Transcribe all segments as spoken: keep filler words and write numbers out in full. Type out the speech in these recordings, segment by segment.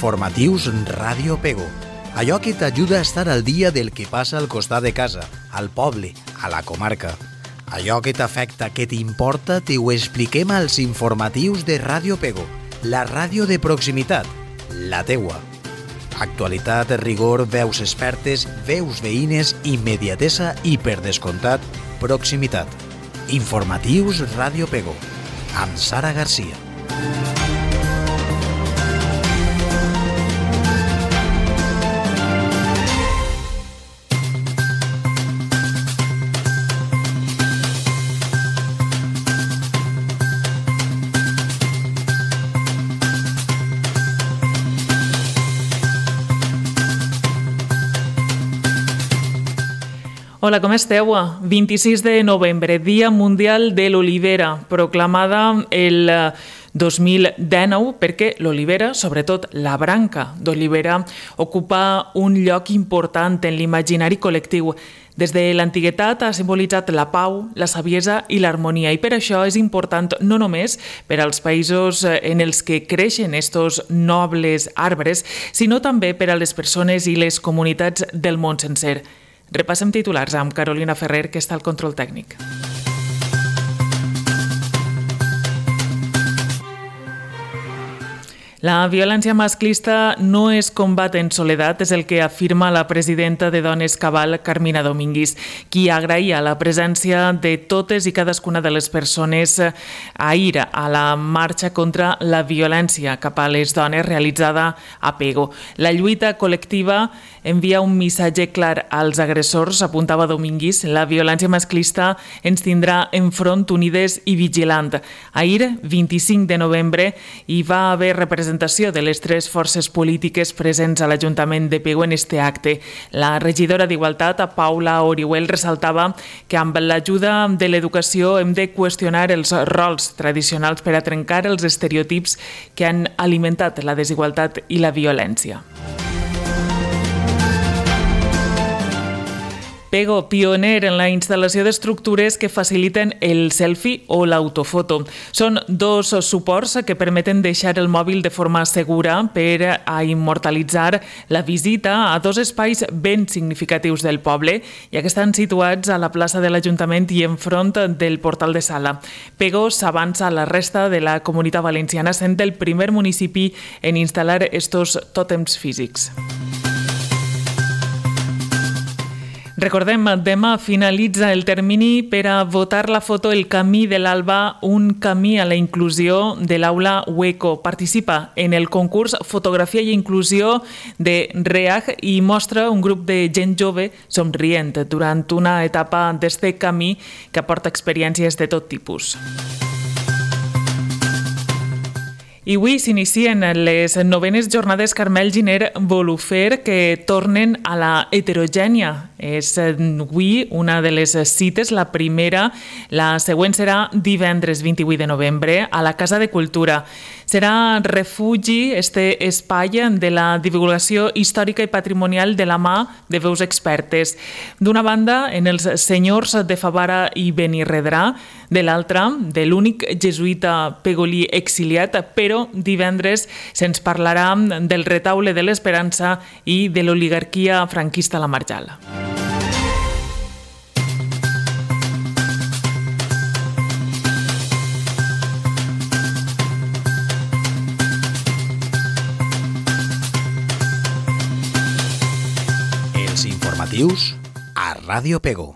Informatius Ràdio Pego. Allò que t'ajuda a estar al dia del que passa al costat de casa, al poble, a la comarca. Allò que t'afecta, que t'importa, te ho expliquem als informatius de Ràdio Pego, la ràdio de proximitat, la teua. Actualitat, rigor, veus expertes, veus veïnes, immediatesa i, per descomptat, proximitat. Informatius Ràdio Pego, amb Sara Garcia. Hola, com esteu? vint-i-sis de novembre, Dia Mundial de l'Olivera, proclamada el dos mil dinou perquè l'olivera, sobretot la branca d'olivera, ocupa un lloc important en l'imaginari col·lectiu. Des de l'antiguitat ha simbolitzat la pau, la saviesa i l'harmonia, i per això és important no només per als països en els que creixen estos nobles arbres, sinó també per a les persones i les comunitats del món sencer. Repassem titulars amb Carolina Ferrer, que està al control tècnic. La violència masclista no es combat en soledat, és el que afirma la presidenta de Dones Cabal, Carmina Domínguez, qui agraïa la presència de totes i cadascuna de les persones ahir a la marxa contra la violència cap a les dones realitzada a Pego. La lluita col·lectiva envia un missatge clar als agressors, apuntava Domínguez. La violència masclista ens tindrà enfront unides i vigilant. Ahir, vint-i-cinc de novembre, hi va haver representació de les tres forces polítiques presents a l'Ajuntament de Pego en este acte. La regidora d'Igualtat, Paula Orihuel, ressaltava que amb l'ajuda de l'educació hem de qüestionar els rols tradicionals per a trencar els estereotips que han alimentat la desigualtat i la violència. Pego, pioner en la instal·lació d'estructures que faciliten el selfie o l'autofoto. Són dos suports que permeten deixar el mòbil de forma segura per a immortalitzar la visita a dos espais ben significatius del poble, ja que estan situats a la plaça de l'Ajuntament i enfront del portal de Sala. Pego s'avança a la resta de la Comunitat Valenciana, sent el primer municipi en instal·lar estos tòtems físics. Recordem, demà finalitza el termini per a votar la foto El camí de l'Alba, un camí a la inclusió de l'Aula Hueco. Participa en el concurs Fotografia i Inclusió de REAG i mostra un grup de gent jove somrient durant una etapa d'este camí que aporta experiències de tot tipus. I avui s'inicien les novenes jornades Carmel Giner Volufer, que tornen a la heterogènia. És avui una de les cites, la primera. La següent serà divendres vint-i-vuit de novembre a la Casa de Cultura. Serà refugi, este espai de la divulgació històrica i patrimonial de la mà de veus expertes. D'una banda, en els senyors de Favara i Benirredrà, de l'altra, de l'únic jesuïta pegolí exiliat, però divendres se'ns parlarà del retaule de l'Esperança i de l'oligarquia franquista a la Marjal. Els informatius a Ràdio Pego.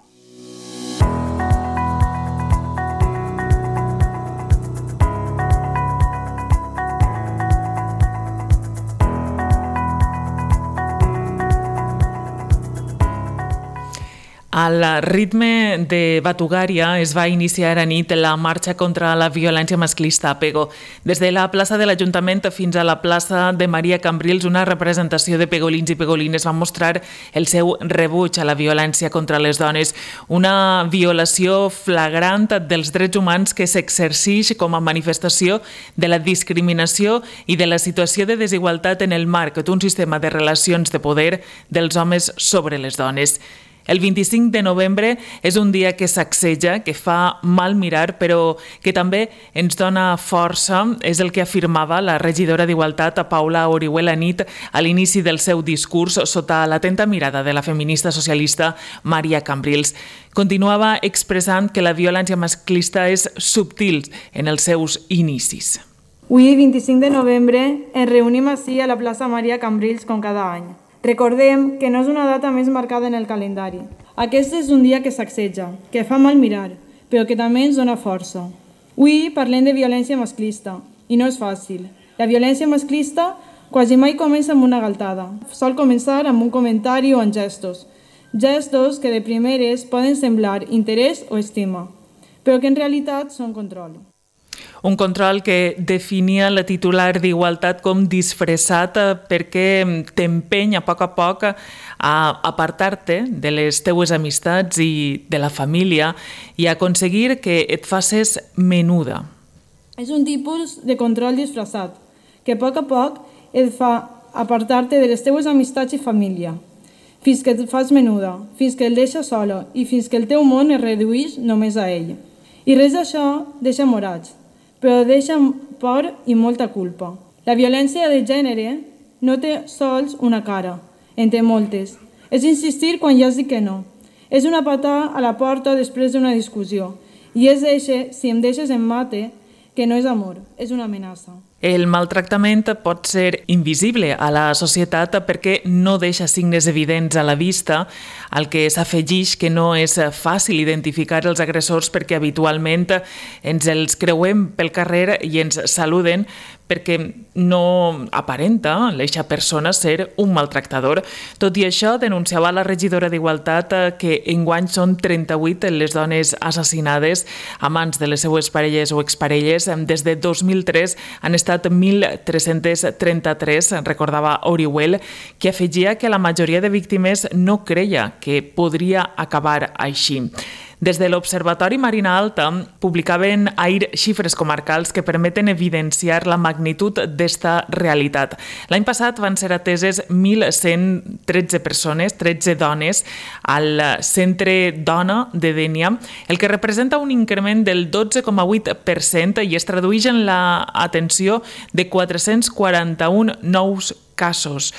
Al ritme de Batugària es va iniciar a nit la marxa contra la violència masclista a Pego. Des de la plaça de l'Ajuntament fins a la plaça de Maria Cambrils, una representació de pegolins i pegolines va mostrar el seu rebuig a la violència contra les dones, una violació flagrant dels drets humans que s'exerceix com a manifestació de la discriminació i de la situació de desigualtat en el marc d'un sistema de relacions de poder dels homes sobre les dones. El vint-i-cinc de novembre és un dia que sacseja, que fa mal mirar, però que també ens dona força. És el que afirmava la regidora d'Igualtat, Paula Orihuel, a nit a l'inici del seu discurs sota l'atenta mirada de la feminista socialista Maria Cambrils. Continuava expressant que la violència masclista és subtil en els seus inicis. Avui, vint-i-cinc de novembre, ens reunim ací a la plaça Maria Cambrils com cada any. Recordem que no és una data més marcada en el calendari. Aquest és un dia que sacseja, que fa mal mirar, però que també ens dona força. Avui parlem de violència masclista, i no és fàcil. La violència masclista quasi mai comença amb una galtada. Sol començar amb un comentari o amb gestos. Gestos que de primeres poden semblar interès o estima, però que en realitat són control. Un control que definia la titular d'Igualtat com disfressat perquè t'empeny a poc a poc a apartar-te de les teues amistats i de la família i aconseguir que et faces menuda. És un tipus de control disfressat que a poc a poc et fa apartar-te de les teues amistats i família, fins que et fas menuda, fins que el deixes sola i fins que el teu món es redueix només a ell. I res d'això deixa morats, però deixa por i molta culpa. La violència de gènere no té sols una cara, en té moltes. És insistir quan ja has dit que no. És una patada a la porta després d'una discussió. I és eixe, si em deixes em mate, que no és amor, és una amenaça. El maltractament pot ser invisible a la societat perquè no deixa signes evidents a la vista, al que s'afegeix que no és fàcil identificar els agressors perquè habitualment ens els creuem pel carrer i ens saluden perquè no aparenta l'eixa persona ser un maltractador. Tot i això, denunciava la regidora d'Igualtat que enguany són trenta-vuit les dones assassinades a mans de les seues parelles o exparelles. Des de dos mil tres han estat mil tres-cents trenta-tres, recordava Orihuel, que afegia que la majoria de víctimes no creia que podria acabar així. Des de l'Observatori Marina Alta publicaven ahir xifres comarcals que permeten evidenciar la magnitud d'esta realitat. L'any passat van ser ateses mil cent tretze persones, tretze dones, al Centre Dona de Dénia, el que representa un increment del dotze coma vuit per cent i es tradueix en l'atenció de quatre-cents quaranta-un nous casos.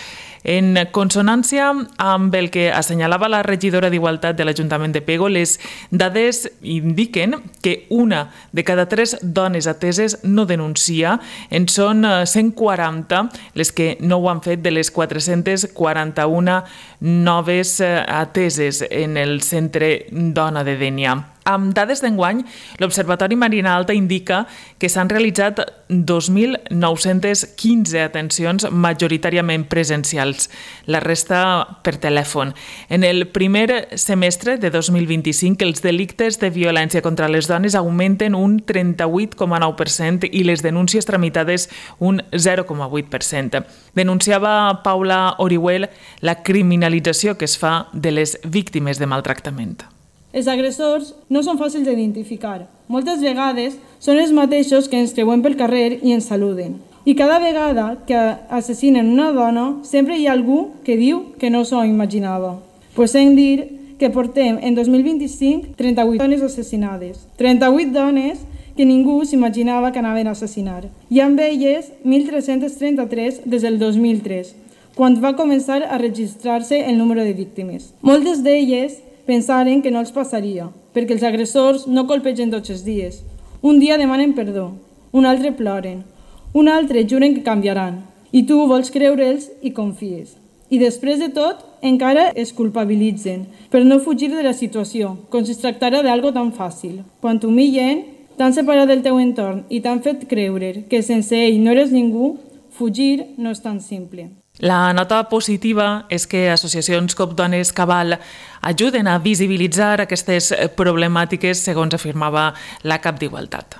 En consonància amb el que assenyalava la regidora d'Igualtat de l'Ajuntament de Pego, les dades indiquen que una de cada tres dones ateses no denuncia. En són cent quaranta les que no ho han fet de les quatre-cents quaranta-un noves ateses en el Centre Dona de Dénia. Amb dades d'enguany, l'Observatori Marina Alta indica que s'han realitzat dos mil nou-cents quinze atencions majoritàriament presencials, la resta per telèfon. En el primer semestre de dos mil vint-i-cinc, els delictes de violència contra les dones augmenten un trenta-vuit coma nou per cent i les denúncies tramitades un zero coma vuit per cent. Denunciava Paula Orihuel la criminalització que es fa de les víctimes de maltractament. Els agressors no són fàcils d'identificar. Moltes vegades són els mateixos que ens creuem pel carrer i ens saluden. I cada vegada que assassinen una dona, sempre hi ha algú que diu que no s'ho imaginava. Pues hem de dir que portem en dos mil vint-i-cinc trenta-vuit dones assassinades. trenta-vuit dones que ningú s'imaginava que anaven a assassinar. I amb elles mil tres-cents trenta-tres des del dos mil tres, quan va començar a registrar-se el número de víctimes. Moltes d'elles pensaren que no els passaria, perquè els agressors no colpegen tots els dies. Un dia demanen perdó, un altre ploren, un altre juren que canviaran, i tu vols creure'ls i confies. I després de tot, encara es culpabilitzen per no fugir de la situació, com si es tractara d'algo tan fàcil. Quan t'humillen, t'han separat del teu entorn i t'han fet creure que sense ell no eres ningú, fugir no és tan simple. La nota positiva és que associacions com Dones Cabal ajuden a visibilitzar aquestes problemàtiques, segons afirmava la cap d'Igualtat.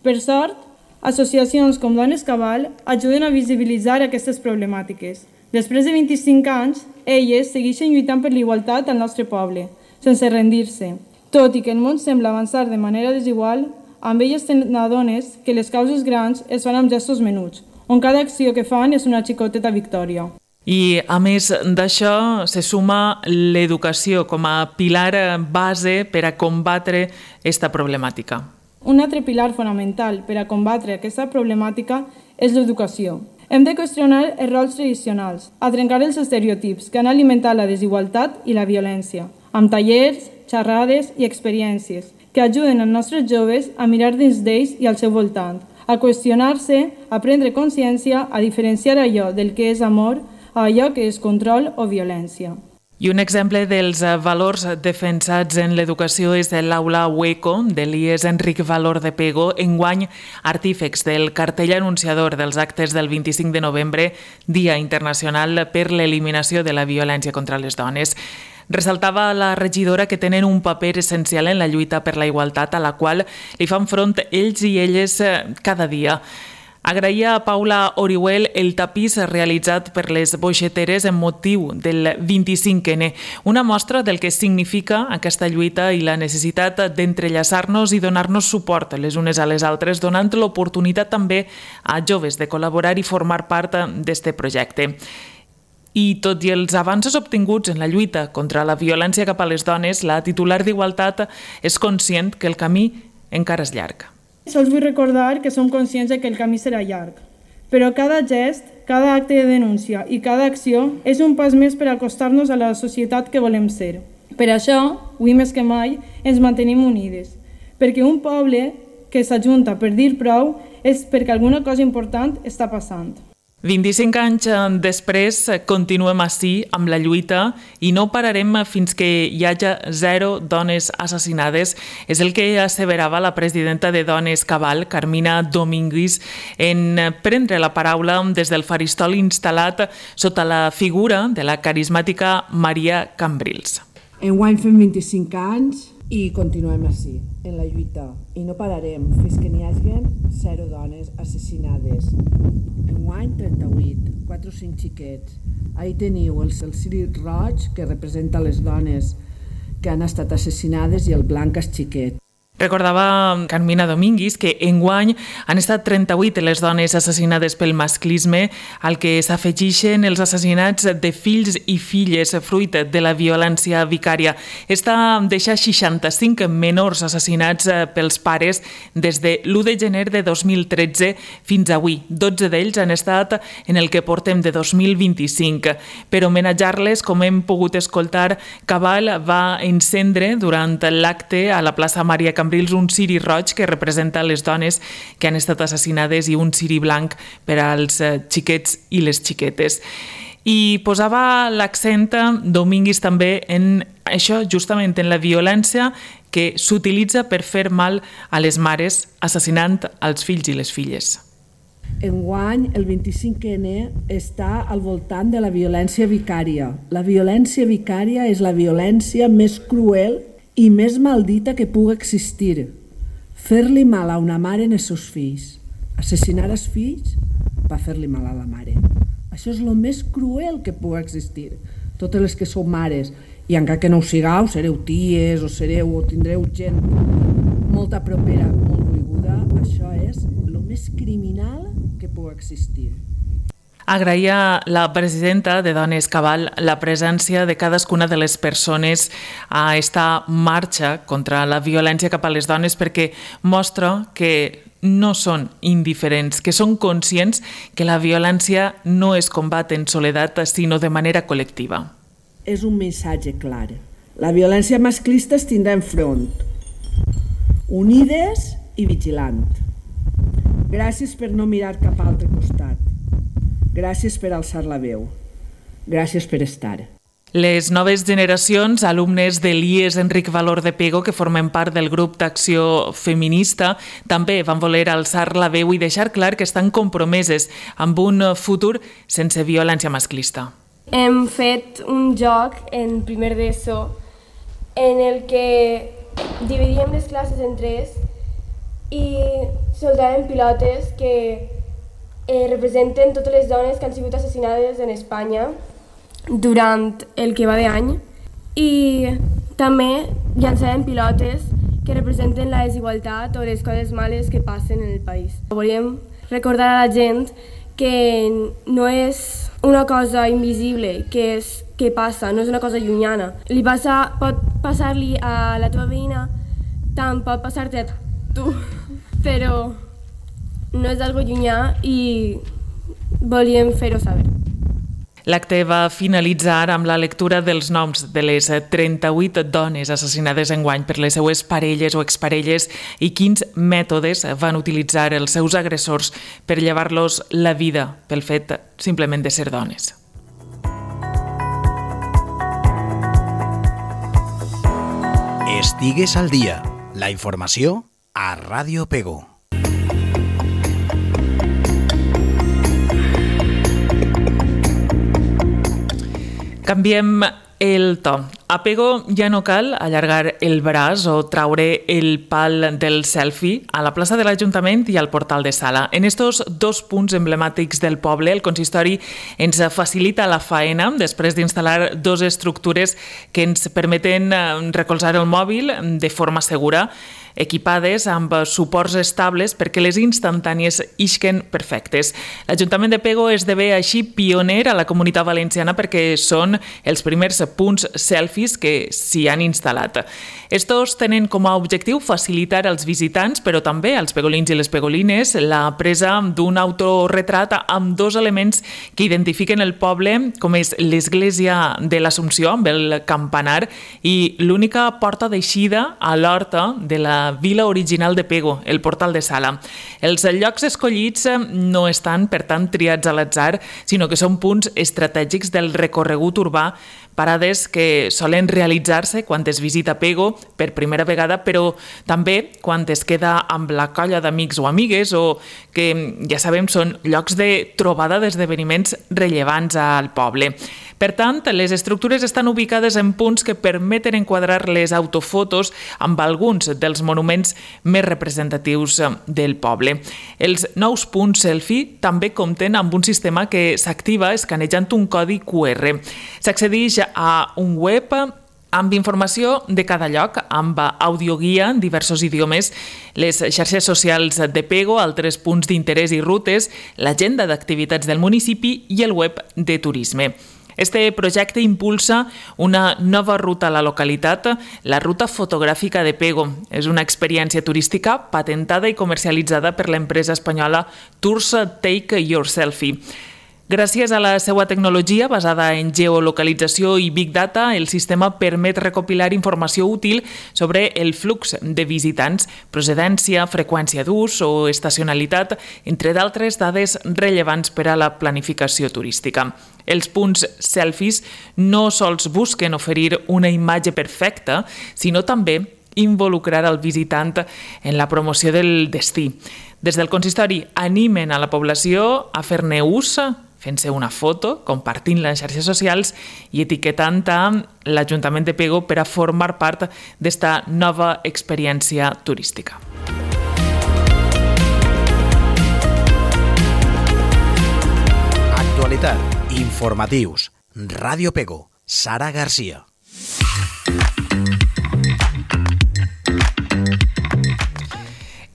Per sort, associacions com Dones Cabal ajuden a visibilitzar aquestes problemàtiques. Després de vint-i-cinc anys, elles segueixen lluitant per l'igualtat al nostre poble, sense rendir-se. Tot i que el món sembla avançar de manera desigual, amb elles t'adones que les causes grans es fan amb gestos menuts, on cada acció que fan és una xicoteta victòria. I, a més d'això, se suma l'educació com a pilar base per a combatre aquesta problemàtica. Un altre pilar fonamental per a combatre aquesta problemàtica és l'educació. Hem de qüestionar els rols tradicionals, a trencar els estereotips que han alimentat la desigualtat i la violència, amb tallers, xerrades i experiències que ajuden els nostres joves a mirar dins d'ells i al seu voltant, a qüestionar-se, a prendre consciència, a diferenciar allò del que és amor a allò que és control o violència. I un exemple dels valors defensats en l'educació és l'aula Hueco de l'I E S Enric Valor de Pego, enguany artífex del cartell anunciador dels actes del vint-i-cinc de novembre, Dia Internacional per l'Eliminació de la Violència contra les Dones. Ressaltava la regidora que tenen un paper essencial en la lluita per la igualtat a la qual li fan front ells i elles cada dia. Agraïa a Paula Orihuel el tapís realitzat per les boixeteres en motiu del vint-i-cinc ene, una mostra del que significa aquesta lluita i la necessitat d'entrellaçar-nos i donar-nos suport les unes a les altres, donant l'oportunitat també a joves de col·laborar i formar part d'aquest projecte. I tot i els avanços obtinguts en la lluita contra la violència cap a les dones, la titular d'Igualtat és conscient que el camí encara és llarg. Sols vull recordar que som conscients de que el camí serà llarg, però cada gest, cada acte de denúncia i cada acció és un pas més per acostar-nos a la societat que volem ser. Per això, avui més que mai, ens mantenim unides, perquè un poble que s'ajunta per dir prou és perquè alguna cosa important està passant. vint-i-cinc anys després continuem així amb la lluita i no pararem fins que hi hagi zero dones assassinades. És el que asseverava la presidenta de Dones Cabal, Carmina Domínguez, en prendre la paraula des del faristol instal·lat sota la figura de la carismàtica Maria Cambrils. Enguany fem vint-i-cinc anys i continuem així, en la lluita, i no pararem fins que n'hi hagi zero dones assassinades. Enguany trenta-vuit, quatre o cinc xiquets. Ahí teniu el ciri roig, que representa les dones que han estat assassinades, i el blanc és xiquet. Recordava Carmina Domínguez que enguany han estat trenta-vuit les dones assassinades pel masclisme, al que s'afegeixen els assassinats de fills i filles fruit de la violència vicària. Està deixar seixanta-cinc menors assassinats pels pares des de l'u de gener de dos mil tretze fins avui. dotze d'ells han estat en el que portem de dos mil vint-i-cinc. Per homenatjar-les, com hem pogut escoltar, Cabal va encendre durant l'acte a la plaça Maria Cambrils un ciri roig que representa les dones que han estat assassinades i un ciri blanc per als xiquets i les xiquetes. I posava l'accent Domínguez també en això, justament en la violència que s'utilitza per fer mal a les mares, assassinant els fills i les filles. Enguany, el vint-i-cinc ene està al voltant de la violència vicària. La violència vicària és la violència més cruel i més maldita que pugui existir. Fer-li mal a una mare en els seus fills. Assassinar els fills va fer-li mal a la mare. Això és el més cruel que pugui existir. Totes les que sou mares, i encara que no ho sigueu, sereu ties o sereu o tindreu gent molta propera, molt volguda, això és el més criminal que pugui existir. Agraïa la presidenta de Dones Cabal la presència de cadascuna de les persones a esta marxa contra la violència cap a les dones, perquè mostra que no són indiferents, que són conscients que la violència no es combat en soledat, sinó de manera col·lectiva. És un missatge clar. La violència masclista es tindrà enfront, unides i vigilant. Gràcies per no mirar cap a l'altre costat. Gràcies per alçar la veu. Gràcies per estar. Les noves generacions, alumnes de l'I E S Enric Valor de Pego, que formen part del grup d'acció feminista, també van voler alçar la veu i deixar clar que estan compromeses amb un futur sense violència masclista. Hem fet un joc en primer d'ESO en el que dividíem les classes en tres i soltàvem pilotes que eh, representen totes les dones que han sigut assassinades en Espanya durant el que va d'any, i també llançàvem pilotes que representen la desigualtat o les coses males que passen en el país. Volíem recordar a la gent que no és una cosa invisible, que, és, que passa, no és una cosa llunyana. Li passa, pot passar-li a la teva veïna, tant pot passar-te a tu, però no és algo llunyà i volíem fer-ho saber. L'acte va finalitzar amb la lectura dels noms de les trenta-vuit dones assassinades enguany per les seues parelles o exparelles i quins mètodes van utilitzar els seus agressors per llevar-los la vida pel fet simplement de ser dones. Estigues al dia. La informació a Ràdio Pego. Canviem el to. A Pego ja no cal allargar el braç o traure el pal del selfie a la plaça de l'Ajuntament i al portal de Sala. En estos dos punts emblemàtics del poble, el consistori ens facilita la faena després d'instal·lar dues estructures que ens permeten recolzar el mòbil de forma segura, equipades amb suports estables perquè les instantànies isquen perfectes. L'Ajuntament de Pego esdevé així pioner a la Comunitat Valenciana perquè són els primers punts selfies que s'hi han instal·lat. Estos tenen com a objectiu facilitar als visitants, però també als pegolins i les pegolines, la presa d'un autorretrat amb dos elements que identifiquen el poble, com és l'església de l'Assumpció amb el campanar i l'única porta d'eixida a l'horta de la vila original de Pego, el portal de Sala. Els llocs escollits no estan, per tant, triats a l'atzar, sinó que són punts estratègics del recorregut urbà, parades que solen realitzar-se quan es visita Pego per primera vegada, però també quan es queda amb la colla d'amics o amigues o que, ja sabem, són llocs de trobada d'esdeveniments rellevants al poble. Per tant, les estructures estan ubicades en punts que permeten enquadrar les autofotos amb alguns dels monuments més representatius del poble. Els nous punts selfie també compten amb un sistema que s'activa escanejant un codi Q R. S'accedeix a un web amb informació de cada lloc, amb audioguia en diversos idiomes, les xarxes socials de Pego, altres punts d'interès i rutes, l'agenda d'activitats del municipi i el web de turisme. Este projecte impulsa una nova ruta a la localitat, la Ruta Fotogràfica de Pego. És una experiència turística patentada i comercialitzada per l'empresa espanyola Tours Take Your Selfie. Gràcies a la seva tecnologia basada en geolocalització i Big Data, el sistema permet recopilar informació útil sobre el flux de visitants, procedència, freqüència d'ús o estacionalitat, entre d'altres dades rellevants per a la planificació turística. Els punts selfies no sols busquen oferir una imatge perfecta, sinó també involucrar el visitant en la promoció del destí. Des del consistori animen a la població a fer-ne ús, fent-se una foto, compartint-la en xarxes socials i etiquetant a l'Ajuntament de Pego per a formar part d'esta nova experiència turística. Actualitat, informatius, Ràdio Pego, Sara Garcia.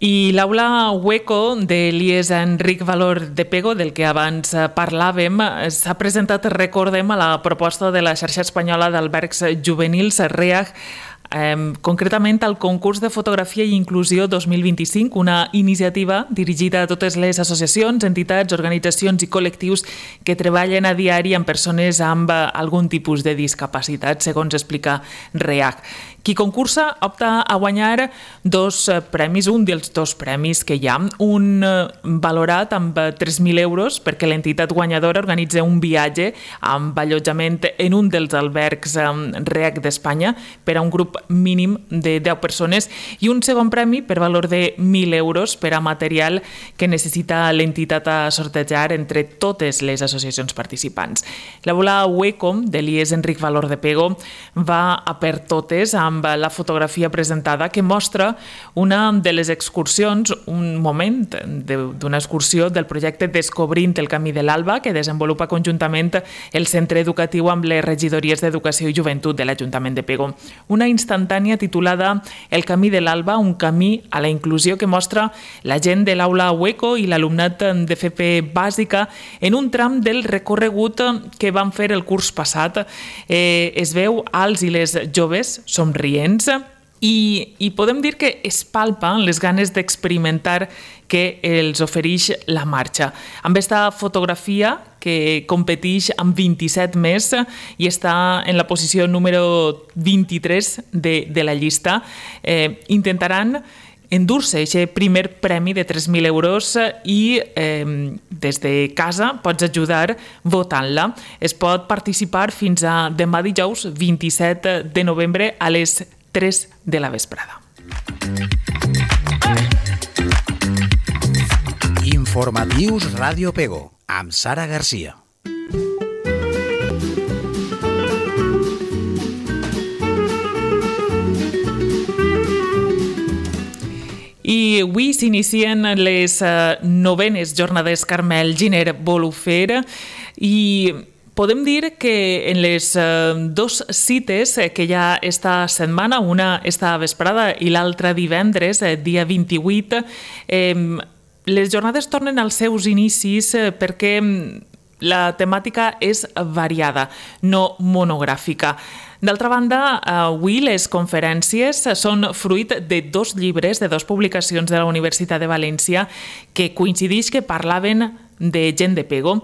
I l'aula Hueco de l'I E S Enric Valor de Pego, del que abans parlàvem, s'ha presentat, recordem, a la proposta de la xarxa espanyola d'albergs juvenils REAG, eh, concretament al concurs de fotografia i inclusió dos mil vint-i-cinc, una iniciativa dirigida a totes les associacions, entitats, organitzacions i col·lectius que treballen a diari amb persones amb algun tipus de discapacitat, segons explica REAG. Qui concursa opta a guanyar dos premis, un dels dos premis que hi ha, un valorat amb tres mil euros perquè l'entitat guanyadora organitza un viatge amb allotjament en un dels albergs REAG d'Espanya per a un grup mínim de deu persones i un segon premi per valor de mil euros per a material que necessita l'entitat a sortejar entre totes les associacions participants. La bola Hueco de l'I E S Enric Valor de Pego va a per totes amb amb la fotografia presentada que mostra una de les excursions, un moment d'una excursió del projecte Descobrint el camí de l'Alba que desenvolupa conjuntament el centre educatiu amb les regidories d'Educació i Joventut de l'Ajuntament de Pego. Una instantània titulada El camí de l'Alba, un camí a la inclusió que mostra la gent de l'aula Hueco i l'alumnat de F P bàsica en un tram del recorregut que van fer el curs passat. Eh, es veu als i les joves somrients i, i podem dir que es palpen les ganes d'experimentar que els ofereix la marxa. Amb aquesta fotografia que competeix amb vint-i-set més i està en la posició número vint-i-tres de, de la llista, eh, intentaran endur-se aquest primer premi de tres mil euros i eh, des de casa pots ajudar votant-la. Es pot participar fins a demà dijous vint-i-set de novembre a les tres de la vesprada. Informatius Ràdio Pego, amb Sara Garcia. I avui s'inicien les novenes jornades Carmel Giner Bolufer i podem dir que en les dos cites que hi ha esta setmana, una esta vesprada i l'altra divendres, dia vint-i-vuit, eh, les jornades tornen als seus inicis perquè la temàtica és variada, no monogràfica. D'altra banda, avui les conferències són fruit de dos llibres, de dues publicacions de la Universitat de València que coincideix que parlaven de gent de Pego.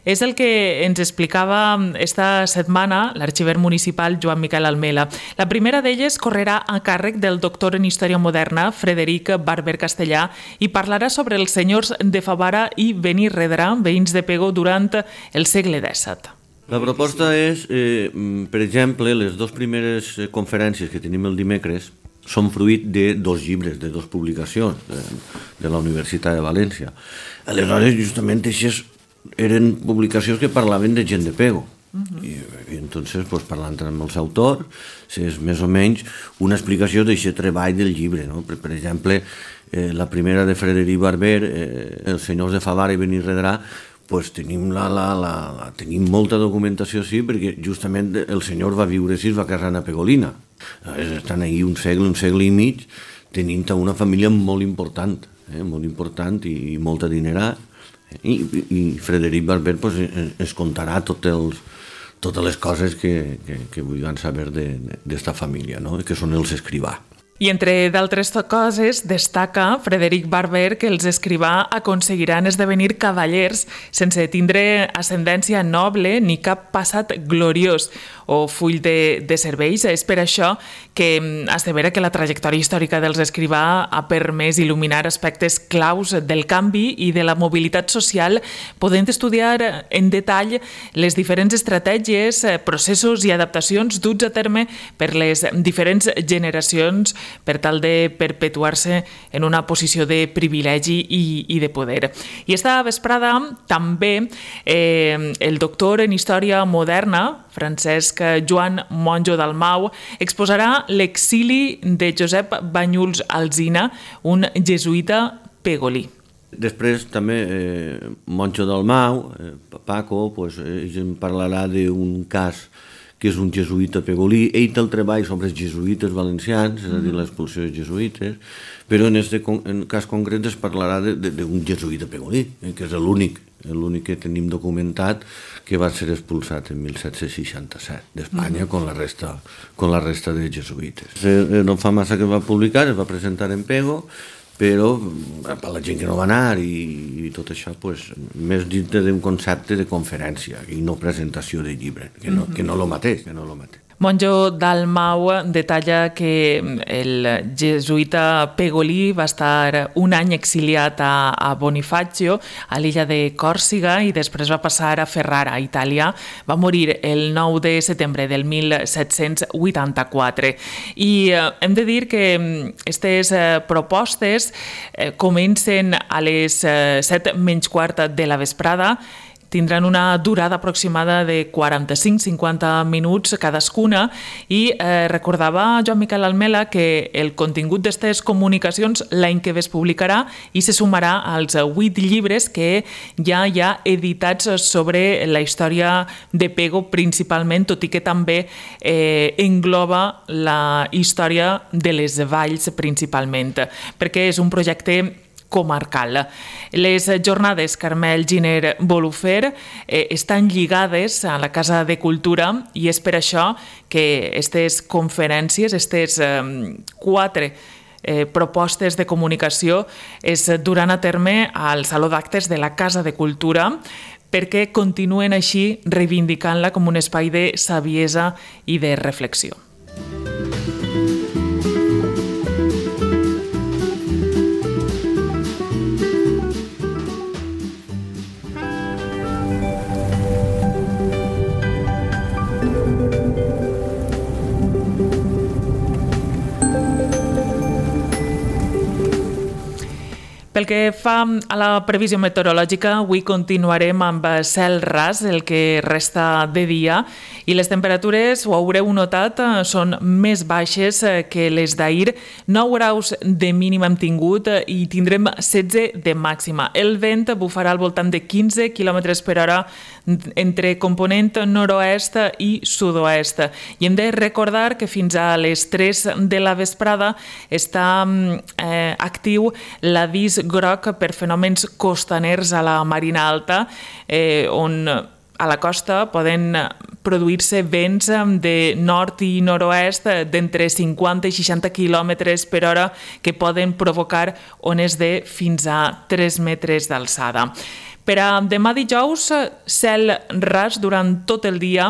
És el que ens explicava esta setmana l'arxiver municipal Joan Miquel Almela. La primera d'elles correrà a càrrec del doctor en Història Moderna, Frederic Barber Castellà, i parlarà sobre els senyors de Favara i Benirredrà, veïns de Pego, durant el segle dèsset. La proposta és, eh, per exemple, les dues primeres conferències que tenim el dimecres són fruit de dos llibres, de dues publicacions de, de la Universitat de València. Aleshores, justament, aquestes eren publicacions que parlaven de gent de Pego. Uh-huh. I, i entonces, pues, parlant amb els autors, és més o menys una explicació d'aquest treball del llibre. No? Per, per exemple, eh, la primera de Frederic Barber, eh, Els senyors de Favara i Benirredrà, pues tenim, la, la, la, la, tenim molta documentació, sí, perquè justament el senyor va viure així, va casar a Pegolina. Estan ahí un segle, un segle i mig, tenint una família molt important, eh, molt important i, i molt adinerat. I, i Frederic Barber pues, es contarà tot els, totes les coses que, que, que vulguin saber d'esta família, no? Que són els escrivà. I entre d'altres coses destaca Frederic Barber que els escrivà aconseguiran esdevenir cavallers sense tindre ascendència noble ni cap passat gloriós o full de, de serveis. És per això que assevera que la trajectòria històrica dels escrivà ha permès il·luminar aspectes claus del canvi i de la mobilitat social, podent estudiar en detall les diferents estratègies, processos i adaptacions duts a terme per les diferents generacions per tal de perpetuar-se en una posició de privilegi i, i de poder. I esta vesprada també eh, el doctor en Història Moderna, Francesc Joan Monjo Dalmau, exposarà l'exili de Josep Banyuls Alsina, un jesuïta pegolí. Després també eh, Monjo Dalmau, eh, Paco, pues, ell en parlarà d'un cas que és un jesuïta pegolí. Ell té el treball sobre els jesuïtes valencians, és a dir, l'expulsió dels jesuïtes, però en aquest cas concret es parlarà d'un jesuïta pegolí, eh, que és l'únic, l'únic que tenim documentat que va ser expulsat en mil set-cents seixanta-set d'Espanya con la resta con la resta de jesuïtes. No fa massa que es va publicar, es va presentar en Pego, però per la gent que no va anar i, i tot això, pues, més dintre d'un concepte de conferència i no presentació de llibre, que no, que no lo mateix, que no lo mateix. Monjo Dalmau detalla que el jesuïta pegolí va estar un any exiliat a, a Bonifacio, a l'illa de Còrsega, i després va passar a Ferrara, a Itàlia. Va morir el nou de setembre del mil set-cents vuitanta-quatre. I eh, hem de dir que aquestes eh, propostes eh, comencen a les eh, set menys quart de la vesprada, tindran una durada aproximada de quaranta-cinc a cinquanta minuts cadascuna i eh, recordava Joan Miquel Almela que el contingut d'aquestes comunicacions l'any que ve es publicarà i se sumarà als vuit llibres que ja hi ha editats sobre la història de Pego principalment, tot i que també eh, engloba la història de les valls principalment, perquè és un projecte comarcal. Les jornades Carmel Giner Bolufer eh, estan lligades a la Casa de Cultura i és per això que aquestes conferències, aquestes eh, quatre eh, propostes de comunicació es duran a terme al Saló d'Actes de la Casa de Cultura perquè continuen així reivindicant-la com un espai de saviesa i de reflexió. Pel que fa a la previsió meteorològica, avui continuarem amb cel ras el que resta de dia i les temperatures, ho haureu notat, són més baixes que les d'ahir. nou graus de mínima hem tingut i tindrem setze de màxima. El vent bufarà al voltant de quinze quilòmetres per hora entre component nord-oest i sud-oest. I hem de recordar que fins a les tres de la vesprada està eh, actiu l'avís groc per fenòmens costaners a la Marina Alta, eh, on a la costa poden produir-se vents de nord i nord-oest d'entre cinquanta i seixanta quilòmetres per hora que poden provocar ones de fins a tres metres d'alçada. Per a demà dijous, cel ras durant tot el dia,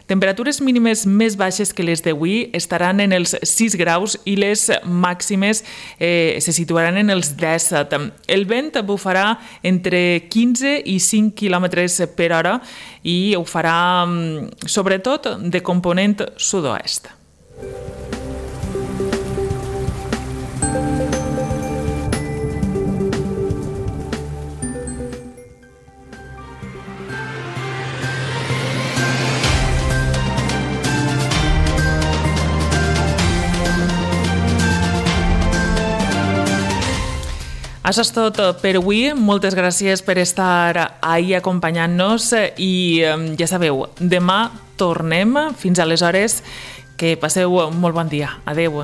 temperatures mínimes més baixes que les d'avui estaran en els sis graus i les màximes eh, se situaran en els disset. El vent bufarà entre quinze i cinc quilòmetres per hora i ho farà sobretot de component sud-oest. Això és tot per avui. Moltes gràcies per estar ahir acompanyant-nos i ja sabeu, demà tornem. Fins aleshores, que passeu molt bon dia. Adéu.